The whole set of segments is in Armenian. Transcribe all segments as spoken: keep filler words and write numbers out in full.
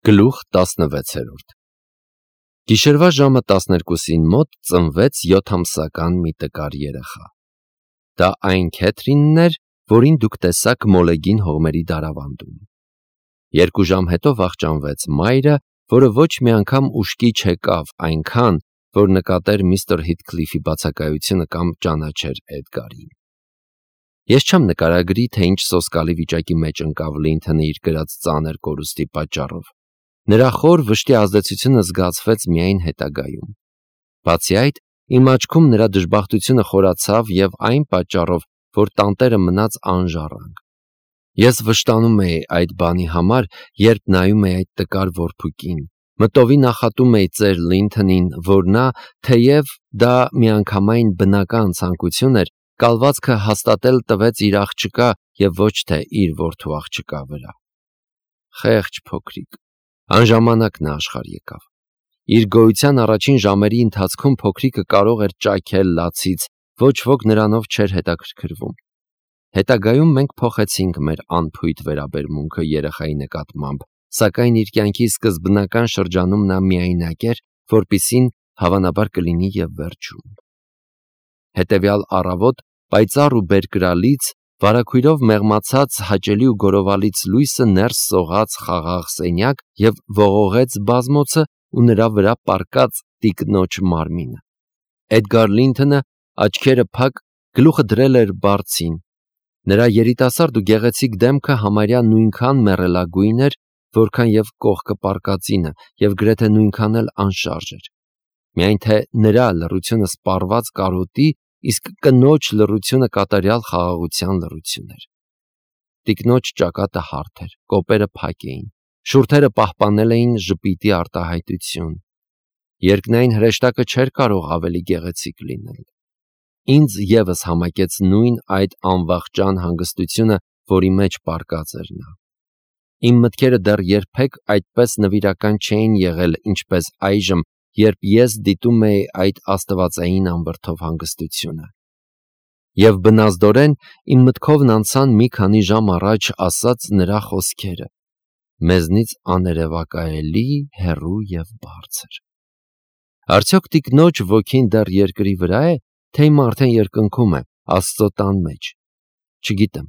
Գլուխ տասնվեցերորդ Գիշերվա ժամը տասներկուսին մոտ ծնվեց յոթամսական մի տկար երեխա: Դա այն Քեթրինն էր, որին դուք տեսաք Մոլեգին հողմերի դարավանդում: Երկու ժամ հետո վախճանվեց մայրը, որը ոչ մի անգամ ուշքի չեկավ այնքան, որ նկատեր միստր Հիթքլիֆի բացակայությունը կամ ճանաչեր Էդգարին: Ես չեմ նկարագրի, թե ինչ սոսկալի վիճակի մեջ ընկավ Լինթոնը իր կրած ծանր կորուստի պատճառով: Նրա խոր վշտի ազդեցությունը զգացվեց միայն հետագայում: Բացի այդ, իմ աչքում նրա դժբախտությունը խորացավ և այն պատճառով, որ տանտերը մնաց անժառանգ: Ես վշտանում էի այդ բանի համար, երբ նայում էի այդ տկար որբուկին, մտովի նախատում էի ծեր Լինթոնին, որ նա, թեև դա միանգամայն բնական ցանկություն էր, կալվածքը հաստատել տվեց իր աղջկա և ոչ թե իր որդու աղջկա վրա: Խեղճ փոքրիկ: Անժամանակ նա աշխարհ եկավ: Իր գոյության առաջին ժամերի ընթացքում փոքրիկը կարող էր ճաքել լացից, ոչ ոք նրանով չէր հետաքրքրվում: Հետագայում մենք փոխեցինք մեր անփույթ վերաբերմունքը երեխայի նկատմամբ, սակայն իր կյանքի սկզբնական շրջանում նա միայնակ էր, որպիսին հավանաբար կլինի և վերջում: Հետևյալ առավոտ պայծառ ու բերկրալից, վարագույրով մեղմացած հաճելի ու գորովալից լույսը ներս սողաց խաղաղ սենյակ և ողողեց բազմոցը ու նրա վրա պառկած տիկնոջ մարմինը: Էդգար Լինթոնը, աչքերը փակ, գլուխը դրել էր բարձին: Նրա երիտասարդ ու գեղեցիկ դեմքը համարյա նույնքան մեռելագույն էր, որքան և կողքը պառկածինը և գրեթե նույնքան էլ անշարժ էր: Միայն թե նրա լռությունը սպառված կարոտի, իսկ կնոջ լռությունը կատարյալ խաղաղության լռություն էր: Տիկնոջ ճակատը հարթ էր, կոպերը փակ էին, շուրթերը պահպանել էին ժպիտի արտահայտություն: Երկնային հրեշտակը չէր կարող ավելի գեղեցիկ լինել: Ինձ ևս համակեց նույն այդ անվախճան հանգստությունը, որի մեջ պառկած էր նա: Իմ մտքերը դեռ երբեք այդպես նվիրական չէին եղել, ինչպես այժմ, երբ ես դիտում էի այդ աստվածային անվրդով հանգստությունը: Եվ բնազդորեն իմ մտքովն անցան մի քանի ժամ առաջ ասած նրա խոսքերը: «Մեզնից աներևակայելի հեռու և բարձր»: Արդյոք տիկնոջ ոգին դեռ երկրի վրա է, թե հիմա արդեն երկնքում է, Աստծո տան մեջ: Չգիտեմ: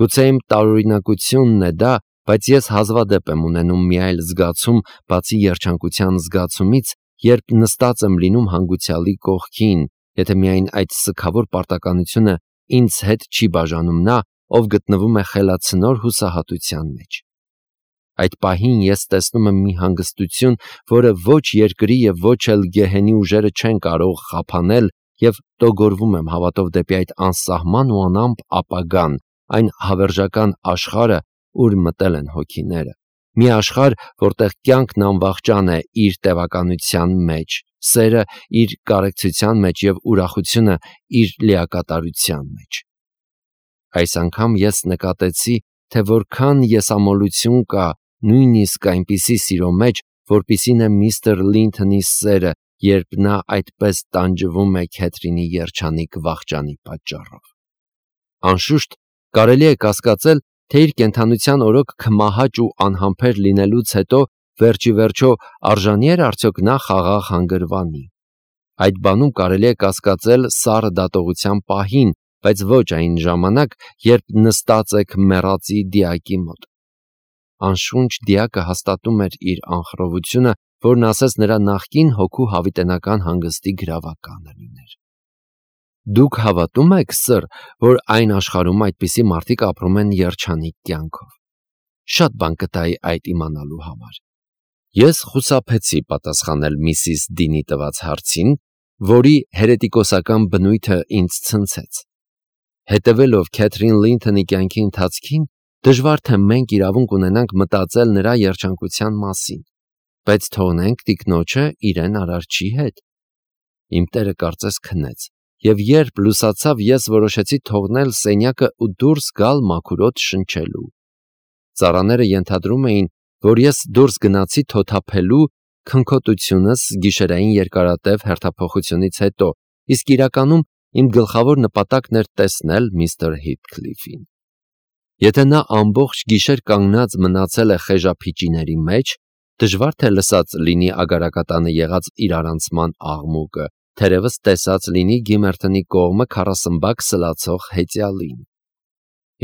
Գուցե իմ տարօրինակությունն է դա, բայց ես հազվադեպ եմ ունենում մի այլ զգացում, բացի երջանկության զգացումից, երբ նստած եմ լինում հանգուցյալի կողքին, եթե միայն այդ սգավոր պարտականությունը ինձ հետ չի բաժանում նա, ով գտնվում է խելացնոր հուսահատության մեջ: Այդ պահին ես տեսնում եմ մի հանգստություն, որը ոչ երկրի և ոչ էլ գեհենի ուժերը չեն կարող խափանել և տոգորվում եմ հավատով դեպի այդ անսահման ու անամպ ապագան, այն հավերժական աշխարհը, ուր մտել են հոգիները: Մի աշխարհ, որտեղ կյանքն անվախճան է իր տևականության մեջ, սերը իր կարեկցության մեջ և ուրախությունը իր լիակատարության մեջ: Այս անգամ ես նկատեցի, թե որքան եսամոլություն կա նույնիսկ այնպիսի սիրո մեջ, որպիսին է միստր Լինթոնի սերը, երբ նա այդպես տանջվում է Քեթրինի երջանիկ վախճանի պատճառով: Անշուշտ, կարելի է կասկածել, թե իր կենդանության օրոք քմահաճ ու անհամբեր լինելուց հետո, վերջիվերջո, արժանի էր արդյոք նա խաղաղ հանգրվանի: Այդ բանում կարելի է կասկածել սառը դատողության պահին, բայց ոչ այն ժամանակ, երբ նստած եք մեռածի դիակի մոտ: Անշունչ դիակը հաստատում էր իր անխռովությունը, որն ասես նրա նախկին հոգու հավիտենական հանգստի գրավականը լիներ: Դուք հավատո՞ւմ եք, սըր, որ այն աշխարհում այդպիսի մարդիկ ապրում են երջանիկ կյանքով: Շատ բան կտայի այդ իմանալու համար: Ես խուսափեցի պատասխանել միսիս Դինի տված հարցին, որի հերետիկոսական բնույթը ինձ ցնցեց: Հետևելով Քեթրին Լինթոնի կյանքի ընթացքին, դժվար թե մենք իրավունք ունենանք մտածել նրա երջանկության մասին: Բայց թողնենք տիկնոջը իրեն Արարչի հետ: Իմ տերը կարծես քնեց, և երբ լուսացավ, ես որոշեցի թողնել սենյակը ու դուրս գալ մաքուր օդ շնչելու: Ծառաները ենթադրում էին, որ ես դուրս գնացի թոթափելու քնքոտությունս գիշերային երկարատև հերթափոխությունից հետո, իսկ իրականում իմ գլխավոր նպատակն էր տեսնել միստր Հիթքլիֆին: Եթե նա ամբողջ գիշեր կանգնած մնացել է խեժափիճիների մեջ, Դժվար թե լսած լինի ագարակատանը եղած իրարանցման աղմուկը, թերևս տեսած լինի Գիմերթոնի կողմը քառասմբակ սլացող հեծյալին։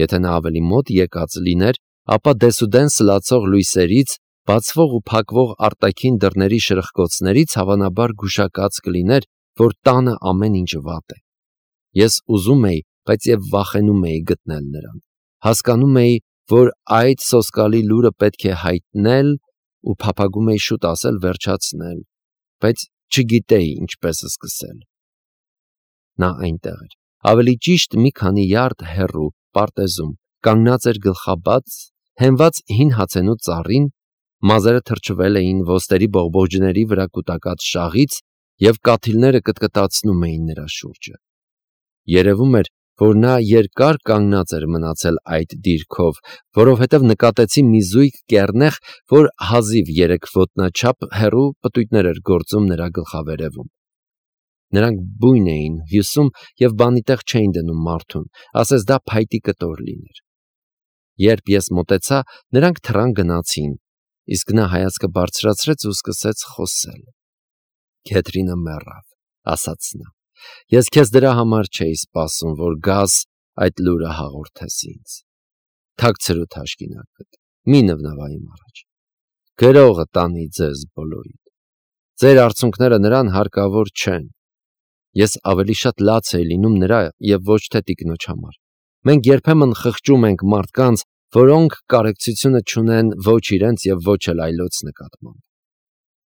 Եթե նա ավելի մոտ եկած լիներ, ապա դեսուդեն սլացող լույսերից, բացվող ու փակվող արտաքին դռների շրխկոցներից հավանաբար գուշակած կլիներ, որ տանը ամեն ինչ վատ է։ Ես ուզում էի, բայց եւ վախենում էի գտնել նրան։ Հասկանում էի, որ այդ սոսկալի լուրը պետք է հայտնել ու փափագում էի շուտ ասել վերջացնել, բայց չգիտեի ինչպես սկսել։ Նա այնտեղ էր, ավելի ճիշտ մի քանի յարդ հեռու, պարտեզում, կանգնած էր գլխաբաց, հենված հին հացենու ծառին, մազերը թրջվել էին ոստերի բողբոջների վրա կուտակած շաղից և կաթիլները կտկտացնում էին նրա շուրջը։ Երևում էր, որ նա երկար կանգնած էր մնացել այդ դիրքով, որովհետև նկատեցի մի զույգ կեռնեխ, որ հազիվ երեք ոտնաչափ հեռու պտույտներ էր գործում նրա գլխավերևում։ Նրանք բույն էին, հյուսում և բանի տեղ չէին դնում մարդուն, ասես դա փայտի կտոր լիներ։ Երբ ես մոտեցա, նրանք թռան գնացին, իսկ նա հայացքը բարձրացրեց ու սկսեց խոսել։ Քեթրինը մեռավ, ասաց նա։ Ես քեզ դրա համար չէի սպասում, որ գաս այդ լուրը հաղորդես ինձ։ Թաքցրու թաշկինակդ, մի նվնվա իմ առաջ։ Գրողը տանի ձեզ բոլորիդ։ Ձեր արցունքները նրան հարկավոր չեն։ Ես ավելի շատ լաց էի լինում նրա և ոչ թե տիկնոջ համար։ Մենք երբեմն խղճում ենք մարդկանց, որոնք կարեկցությունը չունեն ոչ իրենց և ոչ էլ այլոց նկատմամբ։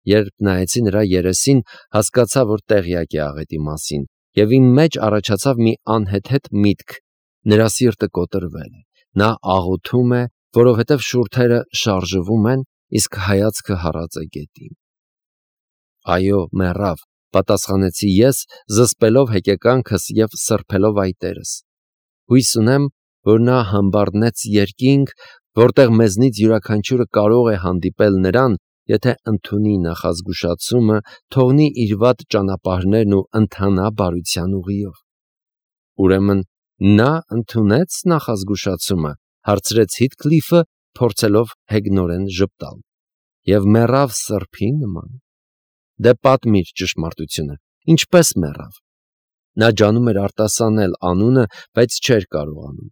Երբ նայեցի նրա երեսին, հասկացա, որ տեղյակ է աղետի մասին, և իմ մեջ առաջացավ մի անհեթեթ միտք. նրա սիրտը կոտրվել է, նա աղոթում է, որովհետև շուրթերը շարժվում են, իսկ հայացքը հառած է գետին։ Այո, մեռավ, պատասխանեցի ես, զսպելով հեկեկանքս և սրբելով այտերս։ Հույս ունեմ, որ նա համբարձնեց երկինք, որտեղ մեզնից յուրաքանչյուրը կարող է հանդիպել նրան, եթե ընդունի նախազգուշացումը, թողնի իր վատ ճանապարհներն ու ընթանա բարության ուղիով։ Ուրեմն նա ընդունեց նախազգուշացումը, հարցրեց Հիթքլիֆը, փորձելով հեգնորեն ժպտալ, և մեռավ սրբի նման։ Դե պատմիր ճշմարտությունը, ինչպես մեռավ։ Նա ջանում էր արտասանել անունը, բայց չէր կարողանում։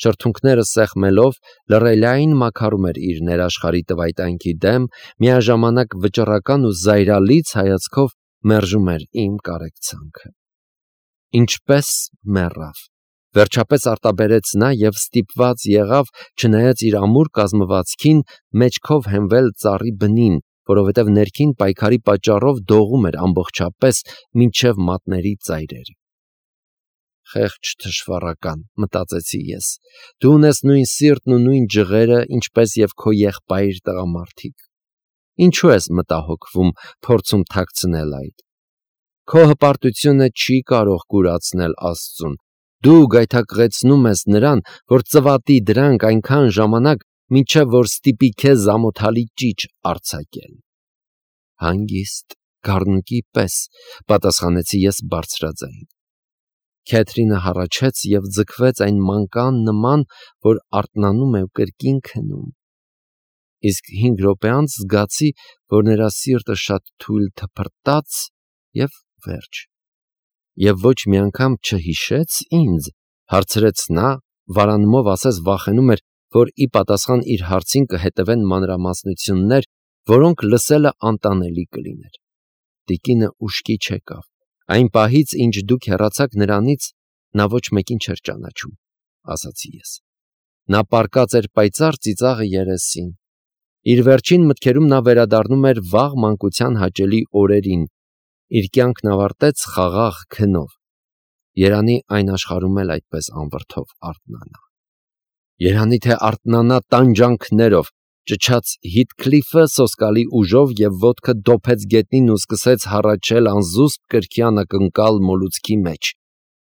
Շրթունքները սեղմելով, լռելային մաքարում էր իր ներաշխարհի տվայտանքի դեմ, միաժամանակ վճռական ու զայրալից հայացքով մերժում էր իմ կարեկցանքը։ Ինչպես մեռավ։ Վերջապես արտաբերեց նա և ստիպված եղավ, չնայած իր ամուր կազմվածքին, մեջքով հենվել ծառի բնին, որովհետև ներքին պայքարի պատճառով դողում էր ամբողջապես մինչև մատների ծայրերը։ Խեղճ թշվառական, մտածեցի ես, դու ունես նույն սիրտն ու նույն ջղերը, ինչպես և քո եղբայր տղամարդիկ։ Ինչու ես մտահոգվում, փորձում թաքցնել այդ։ Քո հպարտությունը չի կարող կուրացնել Աստծուն։ Դու գայթակղեցնում ես նրան, որ ծվատի դրանք այնքան ժամանակ, մինչև որ ստիպի քեզ ամոթալի ճիչ արձակել։ Հանգիստ, գառնուկի պես, պատասխանեցի ես բարձրաձայն։ Քեթրինը հառաչեց և ձգվեց այն մանկան նման, որ արթնանում է ու կրկին քնում։ Իսկ հինգ րոպե անց զգացի, որ նրա սիրտը շատ թույլ թփրտաց և վերջ։ Եվ ոչ մի անգամ չհիշեց ինձ, հարցրեց նա, վարանումով ասես վախենում էր, որ ի պատասխան իր հարցին կհետևեն մանրամասնություններ, որոնք լսելը անտանելի կլիներ։ Տիկինը ուշքի չեկավ։ Այն պահից, ինչ դուք հեռացաք նրանից, նա ոչ մեկին չէր ճանաչում, ասացի ես։ Նա պառկած էր պայծառ ծիծաղը երեսին։ Իր վերջին մտքերում նա վերադառնում էր վաղ մանկության հաճելի օրերին, իր կյանքն ավարտեց խաղաղ քնով։ Երանի այն աշխարհում էլ այդպես անվրդով արթնանա։ Երանի թե արթնանա տանջանքներով, ճչաց Հիթքլիֆը սոսկալի ուժով և ոտքը դոփեց գետնին ու սկսեց հառաչել անզուսպ կրքի անակնկալ մոլուցքի մեջ։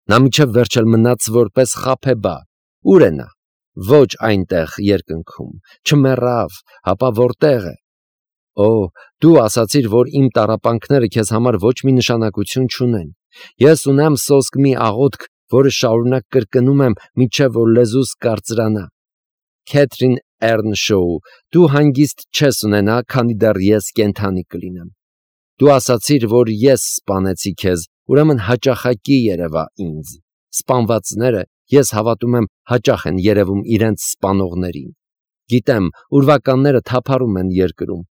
Նա մինչև վերջ էլ մնաց որպես խաբեբա։ Ո՞ւր է նա։ Ոչ այնտեղ երկնքում, չմեռավ, հապա որտեղ է։ Օ, դու ասացիր, որ իմ տառապանքները քեզ համար ոչ մի նշանակություն չունեն։ Ես ունեմ սոսկ մի աղոթք, որը շարունակ կրկնում եմ, մինչև որ լեզուս կարծրանա։ Քեթրին Էռնշոու, դու հանգիստ չես ունենա, քանի դեռ ես կենդանի կլինեմ։ Դու ասացիր, որ ես սպանեցի քեզ, ուրեմն հաճախակի երևա ինձ։ Սպանվածները, ես հավատում եմ, հաճախ են երևում իրենց սպանողներին։ Գիտեմ, ուրվականները թափառում են երկրում։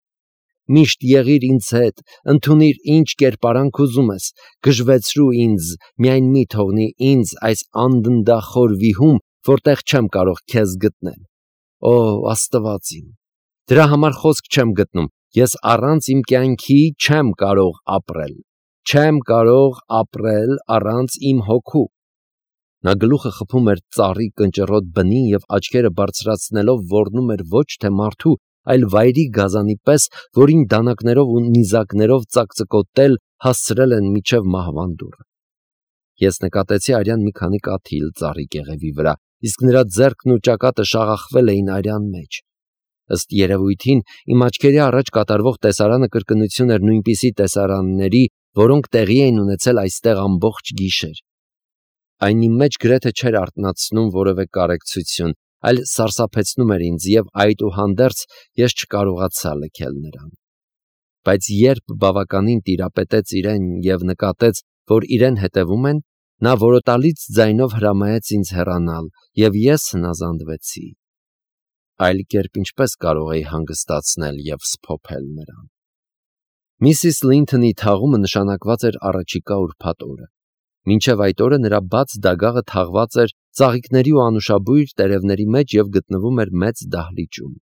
Միշտ եղիր ինձ հետ, ընդունիր ինչ կերպարանք ուզում ես, գժվեցրու ինձ, միայն մի թողնի ինձ այս անդնդախոր վիհում, որտեղ չեմ կարող քեզ գտնել։ Օ, Աստված իմ, դրա համար խոսք չեմ գտնում, ես առանց իմ կյանքի չեմ կարող ապրել, չեմ կարող ապրել առանց իմ հոգու։ Նա գլուխը խփում էր ծառի կնճռոտ բնին և աչքերը բարձրացնելով ոռնում էր ոչ թե մարդու, այլ վայրի գազանի պես, որին դանակներով ու նիզակներով ծակծկոտել հասցրել են մինչև մահվան դուռը։ Ես նկատեցի արյան մի քանի կաթիլ ծառի կեղևի վրա, իսկ նրա ձեռքն ու ճակատը շաղախվել էին արյան մեջ։ Ըստ երևույթին, իմ աչքերի առաջ կատարվող տեսարանը կրկնություն էր նույնպիսի տեսարանների, որոնք տեղի էին ունեցել այստեղ ամբողջ գիշեր։ Այն իմ մեջ գրեթե չէր արթնացնում որևէ կարեկցություն, այլ սարսափեցնում էր ինձ, և այդուհանդերձ ես չկարողացա լքել նրան։ Բայց երբ բավականին տիրապետեց իրեն և նկատեց, որ իրեն հետևում են, նա որոտալից ձայնով հրամայեց ինձ հեռանալ, և ես հնազանդվեցի։ Այլ կերպ ինչպես կարող էի հանգստացնել և սփոփել նրան։ Միսիս Լինթոնի թաղումը նշանակված էր առաջիկա ուրբաթ օրը։ Մինչև այդ օրը նրա բաց դագաղը թաղված էր ծաղիկների ու անուշաբույր տերևների մեջ և գտնվում էր մեծ դահլիճում։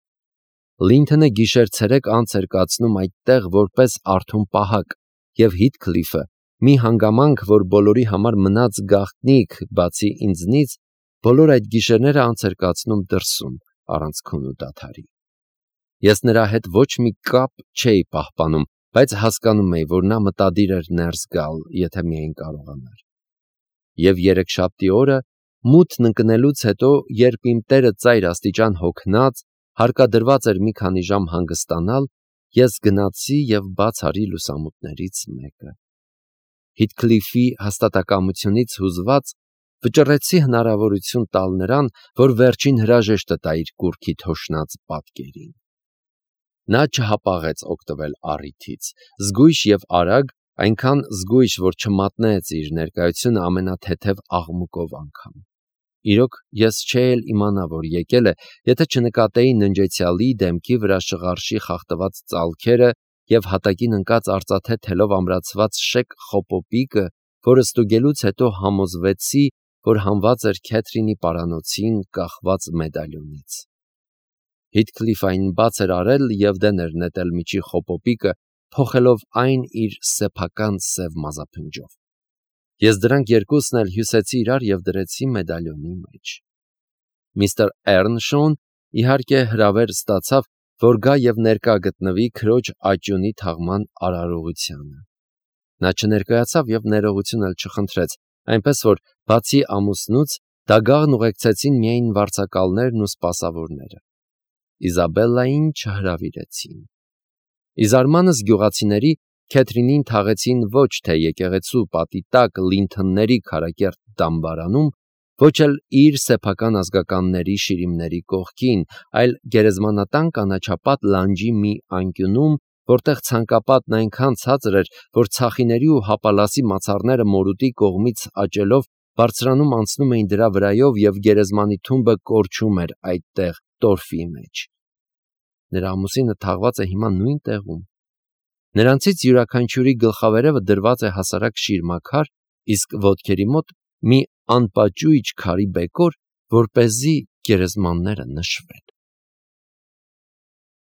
Լինթոնը գիշեր-ցերեկ անց էր կացնում այդտեղ որպես արթուն պահակ, և Հիթքլիֆը, մի հանգամանք, որ բոլորի համար մնաց գաղտնիք, բացի ինձնից, բոլոր այդ գիշերները անց էր կացնում դրսում, առանց քուն ու դադարի։ Ես նրա հետ ոչ մի կապ չէի պահպանում, բայց հասկանում էի, որ նա մտադիր էր ներս գալ, եթե միայն կարողանար։ Եվ երեքշաբթի օրը, մութն ընկնելուց հետո, երբ իմ տերը ծայր աստիճան հոգնած, հարկադրված էր մի քանի ժամ հանգստանալ, ես գնացի և բաց արի լուսամուտներից մեկը։ Հիթքլիֆի հաստատակամությունից հուզված, վճռեցի հնարավորություն տալ նրան, որ վերջին հրաժեշտը տա իր կուռքի թոշնած պատկերին։ Նա չհապաղեց օգտվել առիթից, զգույշ և արագ, այնքան զգույշ, որ չմատնեց իր ներկայությունը ամենաթեթև աղմուկով անգամ։ Իրոք, ես չէի էլ իմանա, որ եկել է, եթե չնկատեի ննջեցյալի դեմքի վրա շղարշի խախտված ծալքերը և հատակին ընկած արծաթե թելով ամրացված շեկ խոպոպիկը, որը ստուգելուց հետո համոզվեցի, որ հանված էր Քեթրինի պարանոցին կախված մեդալյոնից։ Հիթքլիֆն այն բաց էր արել և դեն էր նետել միջի խոպոպիկը, փոխելով այն իր սեփական սև մազափնջով։ Ես դրանք երկուսն էլ հյուսեցի իրար և դրեցի մեդալյոնի մեջ։ Միստր Էռնշոուն, իհարկե, հրավեր ստացավ, որ գա և ներկա գտնվի քրոջ աճյունի թաղման արարողությանը։ Նա չներկայացավ և ներողություն էլ չխնդրեց, այնպես որ, բացի ամուսնուց, դագաղն ուղեկցեցին միայն վարձակալներն ու սպասավորները։ Իզաբելլային չհրավիրեցին։ Ի զարմանս գյուղացիների, Քեթրինին թաղեցին ոչ թե եկեղեցու պատի տակ Լինթոնների քարակերտ դամբարանում, ոչ էլ իր սեփական ազգականների շիրիմների կողքին, այլ գերեզմանատան կանաչապատ լանջի մի անկյունում, որտեղ ցանկապատն այնքան ցածր էր, որ ցախիների ու հապալասի մացառները մորուտի կողմից աճելով բարձրանում անցնում էին դրա վրայով և գերեզմանի թումբը կորչում էր այդտեղ տորֆի մեջ։ Նրա ամուսինը թաղված է հիմա նույն տեղում։ Նրանցից յուրաքանչյուրի գլխավերևը դրված է հասարակ շիրմաքար, իսկ ոտքերի մոտ մի անպաճույճ քարի բեկոր, որպեսզի գերեզմանները նշվեն։